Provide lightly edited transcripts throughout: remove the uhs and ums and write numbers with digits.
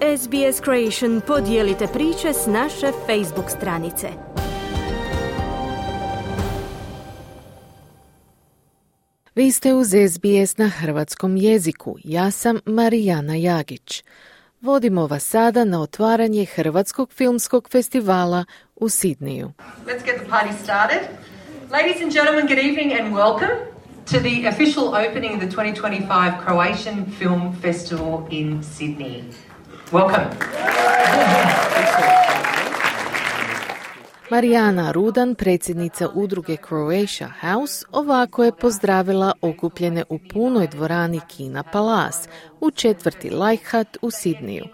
SBS Creation podijelite priče s naše Facebook stranice. Vi ste uz SBS na hrvatskom jeziku. Ja sam Marijana Jagić. Vodimo vas sada na otvaranje Hrvatskog filmskog festivala u Sidneju. Let's get the party started. Ladies and gentlemen, good evening and welcome to the official opening of the 2025 Croatian Film Festival in Sydney. Welcome. Marijana Rudan, predsjednica udruge Croatia House, ovako je pozdravila okupljene u punoj dvorani Kina Palace u četvrti Leichhardt u Sidneju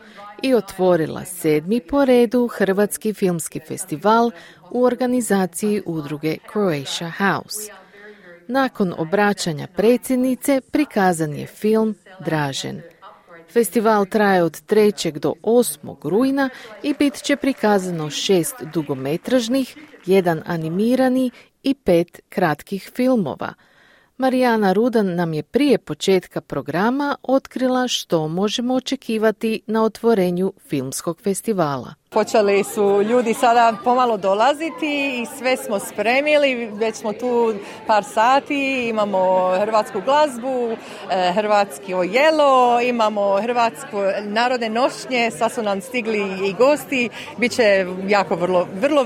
i otvorila 7. po redu Hrvatski filmski festival u organizaciji udruge Croatia House. Nakon obraćanja predsjednice prikazan je film Dražen. Festival traje od 3. do 8. rujna i bit će prikazano 6 dugometražnih, 1 animirani i 5 kratkih filmova. Marijana Rudan nam je prije početka programa otkrila što možemo očekivati na otvorenju filmskog festivala. Počeli su ljudi sada pomalo dolaziti i sve smo spremili, već smo tu par sati, imamo hrvatsku glazbu, hrvatski jelo, imamo hrvatsko narodne nošnje, sad su nam stigli i gosti, bit će jako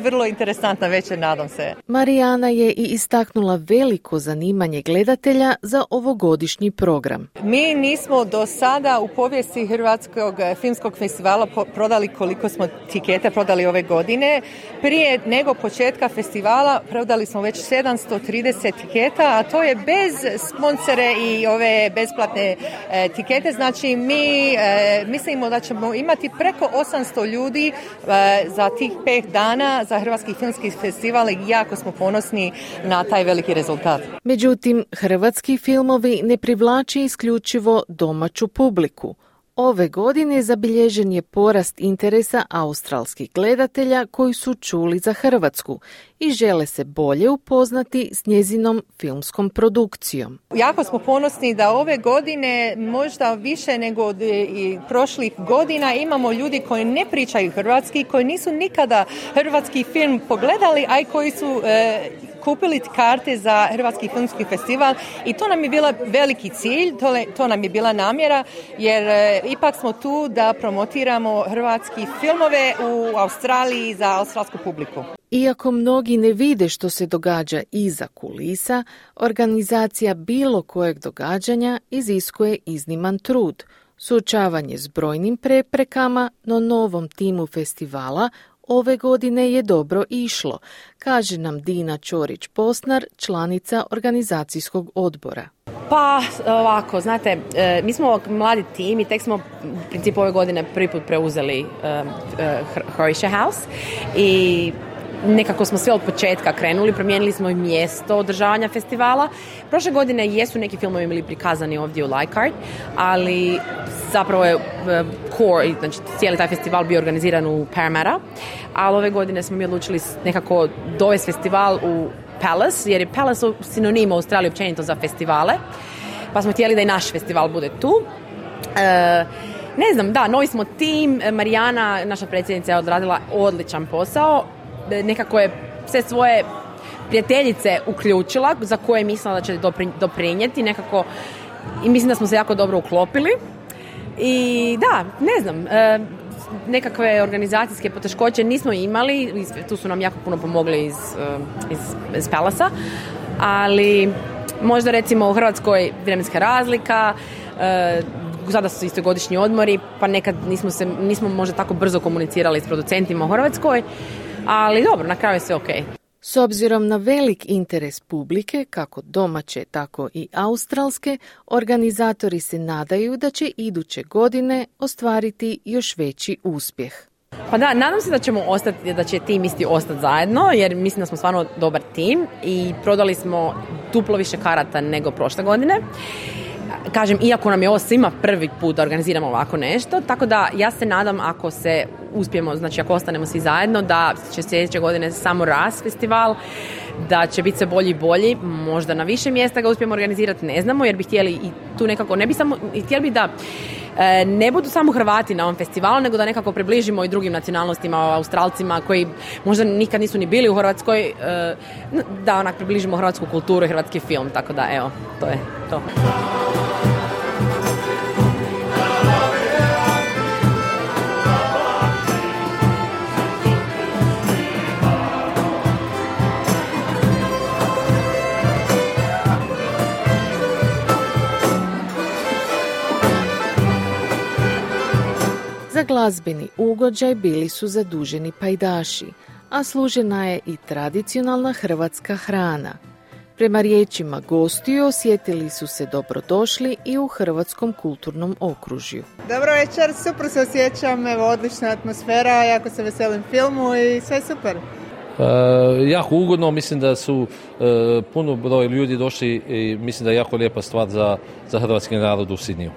vrlo interesantna večer, nadam se. Marijana je i istaknula veliko zanimanje gledatelja za ovogodišnji program. Mi nismo do sada u povijesti Hrvatskog filmskog festivala prodali koliko smo tikete prodali ove godine. Prije nego početka festivala prodali smo već 730 tiketa, a to je bez sponsore i ove besplatne tikete. Znači mi mislimo da ćemo imati preko 800 ljudi za tih 5 dana za Hrvatski filmski festival i jako smo ponosni na taj veliki rezultat. Međutim, hrvatski filmovi ne privlači isključivo domaću publiku. Ove godine zabilježen je porast interesa australskih gledatelja koji su čuli za Hrvatsku i žele se bolje upoznati s njezinom filmskom produkcijom. Jako smo ponosni da ove godine, možda više nego i prošlih godina, imamo ljudi koji ne pričaju hrvatski, koji nisu nikada hrvatski film pogledali, a i koji su kupili karte za Hrvatski filmski festival i to nam je bila veliki cilj, to nam je bila namjera, jer ipak smo tu da promotiramo hrvatski filmove u Australiji za australsku publiku. Iako mnogi ne vide što se događa iza kulisa, organizacija bilo kojeg događanja iziskuje izniman trud. Suočavanje s brojnim preprekama, no novom timu festivala ove godine je dobro išlo, kaže nam Dina Ćorić-Posnar, članica organizacijskog odbora. Pa ovako, znate, mi smo mladi tim i tek smo u principu ove godine prvi put preuzeli Croatia House i nekako smo sve od početka krenuli, promijenili smo i mjesto održavanja festivala. Prošle godine jesu neki filmovi bili prikazani ovdje u Leichhardt, ali zapravo je core, znači cijeli taj festival bio organiziran u Parramatta, ali ove godine smo mi odlučili nekako dovesti festival u Palace, jer je Palace sinonim u Australiji općenito za festivale, pa smo htjeli da i naš festival bude tu. Ne znam, da, novi smo tim, Marijana, naša predsjednica, je odradila odličan posao, nekako je sve svoje prijateljice uključila za koje je mislila da će doprinijeti nekako i mislim da smo se jako dobro uklopili i da, ne znam, nekakve organizacijske poteškoće nismo imali, tu su nam jako puno pomogli iz Palasa, ali možda recimo u Hrvatskoj vremenska razlika, sada su isto godišnji odmori, pa nekad nismo možda tako brzo komunicirali s producentima u Hrvatskoj, ali dobro, na kraju je sve okej. S obzirom na velik interes publike, kako domaće, tako i australske, organizatori se nadaju da će iduće godine ostvariti još veći uspjeh. Pa da, nadam se da će tim isti ostati zajedno, jer mislim da smo stvarno dobar tim i prodali smo duplo više karata nego prošle godine. Kažem, iako nam je ovo svima prvi put da organiziramo ovako nešto, tako da ja se nadam ako se uspijemo, znači ako ostanemo svi zajedno, da će sljedeće godine samo rast festival, da će biti sve bolji i bolji, možda na više mjesta ga uspijemo organizirati, ne znamo, jer bi htjeli i tu nekako, ne bi samo, htjeli bi da ne budu samo Hrvati na ovom festivalu, nego da nekako približimo i drugim nacionalnostima, Australcima koji možda nikad nisu ni bili u Hrvatskoj, da onak približimo hrvatsku kulturu i hrvatski film, tako da evo, to je to. Za glazbeni ugođaj bili su zaduženi pajdaši, a služena je i tradicionalna hrvatska hrana. Prema riječima gostiju osjetili su se dobrodošli i u hrvatskom kulturnom okružju. Dobro večer, super se osjećam, evo odlična atmosfera, jako se veselim filmu i sve super. Jako ugodno, mislim da su puno broj ljudi došli i mislim da je jako lijepa stvar za hrvatski narod u Sidniju.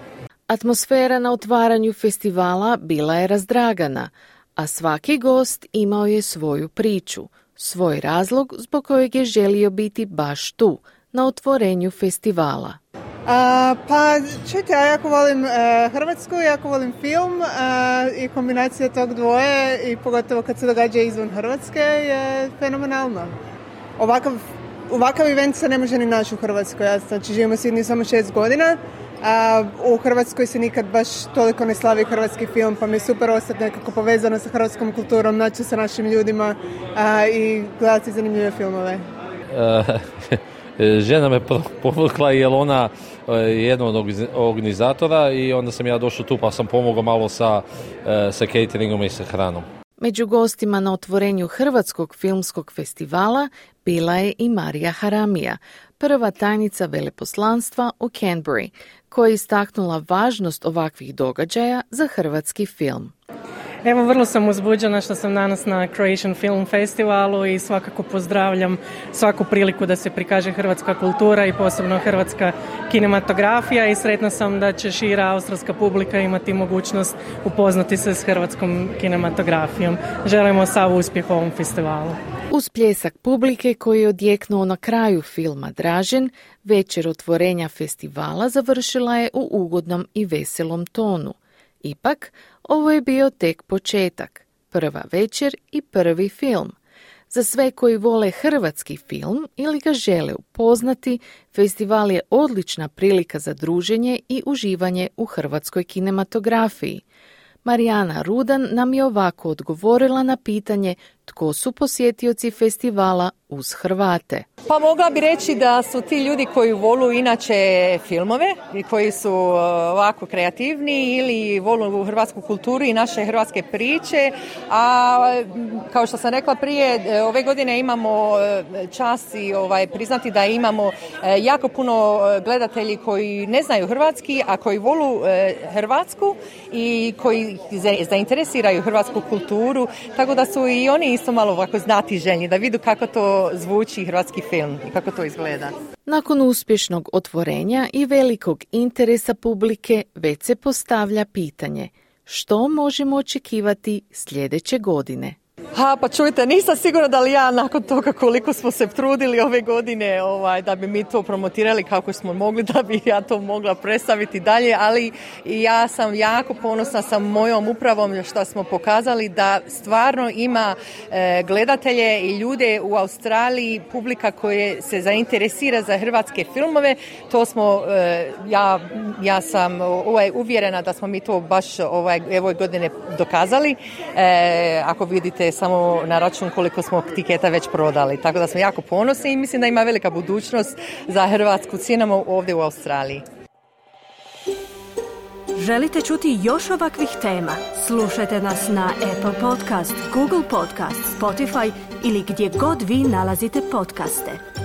Atmosfera na otvaranju festivala bila je razdragana, a svaki gost imao je svoju priču, svoj razlog zbog kojeg je želio biti baš tu, na otvorenju festivala. Pa čujte, ja jako volim Hrvatsku, jako volim film i kombinacija tog dvoje i pogotovo kad se događa izvan Hrvatske je fenomenalno. Ovakav event se ne može ni naći u Hrvatskoj, ja znači živim u Sidniju samo 6 godina. U Hrvatskoj se nikad baš toliko ne slavi hrvatski film, pa mi je super ostati nekako povezano sa hrvatskom kulturom, naći sa našim ljudima i gledati zanimljive filmove. Žena me povukla jer ona je jedna od organizatora i onda sam ja došao tu pa sam pomogao malo sa cateringom i sa hranom. Među gostima na otvorenju Hrvatskog filmskog festivala bila je i Marija Haramija, prva tajnica veleposlanstva u Canberri, koja je istaknula važnost ovakvih događaja za hrvatski film. Evo, vrlo sam uzbuđena što sam danas na Croatian Film Festivalu i svakako pozdravljam svaku priliku da se prikaže hrvatska kultura i posebno hrvatska kinematografija i sretna sam da će šira australska publika imati mogućnost upoznati se s hrvatskom kinematografijom. Želimo sav uspjeh ovom festivalu. Uz pljesak publike koji je odjeknuo na kraju filma Dražen, večer otvorenja festivala završila je u ugodnom i veselom tonu. Ipak, ovo je bio tek početak, prva večer i prvi film. Za sve koji vole hrvatski film ili ga žele upoznati, festival je odlična prilika za druženje i uživanje u hrvatskoj kinematografiji. Marijana Rudan nam je ovako odgovorila na pitanje tko su posjetioci festivala uz Hrvate. Pa mogla bi reći da su ti ljudi koji volu inače filmove i koji su ovako kreativni ili volu hrvatsku kulturu i naše hrvatske priče, a kao što sam rekla prije, ove godine imamo čast i priznati da imamo jako puno gledatelji koji ne znaju hrvatski, a koji volu Hrvatsku i koji zainteresiraju hrvatsku kulturu, tako da su i oni isto malo ovako znatiželjni da vidu kako to zvuči hrvatski film i kako to izgleda. Nakon uspješnog otvorenja i velikog interesa publike već se postavlja pitanje što možemo očekivati sljedeće godine. Pa čujte, nisam sigurna da li ja nakon toga koliko smo se trudili ove godine da bi mi to promotirali kako smo mogli, da bi ja to mogla predstaviti dalje, ali ja sam jako ponosna sa mojom upravom što smo pokazali da stvarno ima gledatelje i ljude u Australiji, publika koja se zainteresira za hrvatske filmove. To smo, ja sam uvjerena da smo mi to baš ove godine dokazali. Ako vidite samo na račun koliko smo tiketa već prodali. Tako da smo jako ponosni i mislim da ima velika budućnost za hrvatsku cinemu ovdje u Australiji. Želite čuti još ovakvih tema? Slušajte nas na Apple Podcast, Google Podcast, Spotify ili gdje god vi nalazite podcaste.